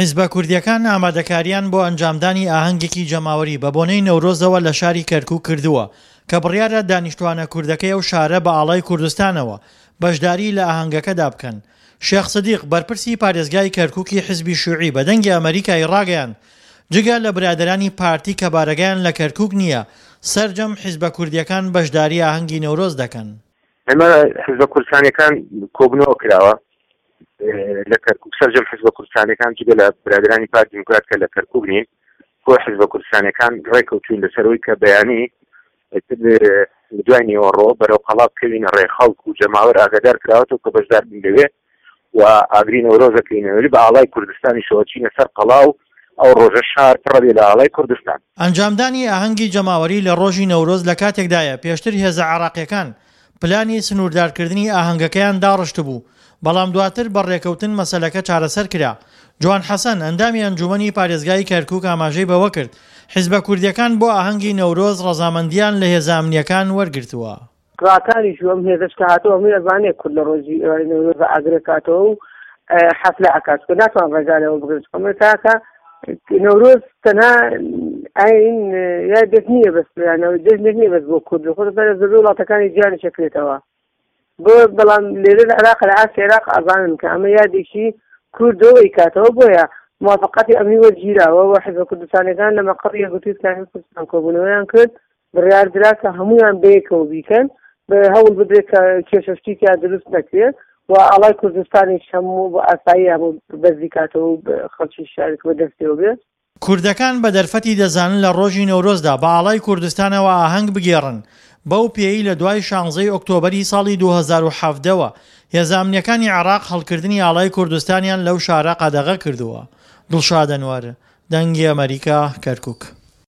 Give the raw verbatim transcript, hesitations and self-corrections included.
حیزبە کوردییەکان ئامادەکارییان بۆ ئەنجامدانی ئاهەنگێکی جەماوەری بە بۆنەی نەورۆزەوە لە شاری کەرکوک کردووە کە بڕیارە دانیشتوانە کوردەکەی ئەو شارە بە ئاڵای کوردستانەوە بەشداری لە ئاهەنگەکەدا بکەن. شێخ سدیق، بەرپرسی پارێزگای کەرکوکی حزبی شیوعی بە دەنگی ئەمەریکای ڕاگەیاند، جگە لە برادەرانی پارتی کە بارەگایان لە کەرکوک نییە، سەرجەم حیزبە کوردییەکان بەشداری ئاهەنگی نەورۆز دەکەن. ئێمە حزبە کوردستانیەکان کۆبنەوە کراوە لە کەرکوک، سەرجەم حزبە کوردستانیەکان جگە لە برادرانی پارتی دیموکرات کە لە کەرکوک نین، کۆ حزبە کوردستانیەکان ڕێکەوتوین لەسەرەوەی کە بەیانی دوای نیوەڕۆ بەرەو قەڵا بکەوینە ڕێ، خەڵک و جەماوەر ئاگادار کراوەتەوە کە بەشدار بن لەوێ و ئاگری نەورۆزەکەینەوەی بە ئاڵای کوردستانیشەوە چینە سەر قەڵا و ئەو ڕۆژە شار پڕە لە ئاڵای کوردستان. ئەنجامدانی ئاهەنگی جەماوەری لە ڕۆژی نەورۆز لە کاتێکدایە پێشتر هێزە عێراقیەکان پلانی سنووردارکردنی ئاهەنگەکەیان داڕشتبوو، بەڵام دواتر بە ڕێکەوتن مەسەلەکە چارەسەر کرا. جوان حەسەن، ئەندامی ئەنجوومەنی پارێزگای کەرکووک ئاماژەی بەوە کرد، حیزبە کوردییەکان بۆ ئاهەنگی نەورۆز ڕەزامەندییان لە هێزە ئەمنییەکان وەرگرتووە. ڕاکانیش و ئەم هێزەش کە هاتەوە هەمووی ئەزانێ کورد لە ڕۆژی ئێوارەی نەورۆزە ئاگرێ کاتەوە و حەفلە ئەکات، چونکە ناتوان ڕێگا لەوە بگرن، چونکە ئەمە تاکە نەورۆز تەنها ئاین یا دەست نییە بەس، یان جەژنێک نییە بەس بۆ کورد، خۆ لە زۆربەی وڵاتەکانی جیهانیش ئەکرێتەوە. بۆ بەڵام لێرە لە عێراق لە ئاستی عێراق ئەزانن کە ئەمە یادێکی کوردەوە ئەیکاتەوە، بۆیە موافقەتی ئەمنی وەرگیراوە و حزبە کوردستانیەکان لە مەقەڕی یەکگرتووی ئیسلامی کوردستان کۆبوونەوەیان کرد، بڕیار درا کە هەمویان بەیەکەوە بیکەن، هەوڵ بدرێت کە کێشە شتی تیا دروست نەکرێت و ئاڵای کوردستانیش هەموو بە ئاسایی هەموو بەرزی کاتەوە و خەڵکی شارێک بە دەستیەوە بێ. کوردەکان بە دەرفەتی دەزانن لە ڕۆژی نەورۆزدا بە ئاڵای کوردستانەوە ئاهەنگ بگێڕن، بەو پێیەی لە دوای شانزەی ئۆکتۆبەری ساڵی دوو هەزار و حەڤدە وە هێزە ئەمنییەکانی عێراق هەڵکردنی ئاڵای کوردستانیان لەو شارە قەدەغە کردووە. دڵشاد ئەنوەر، دەنگی ئەمەریکا، کەرکوک.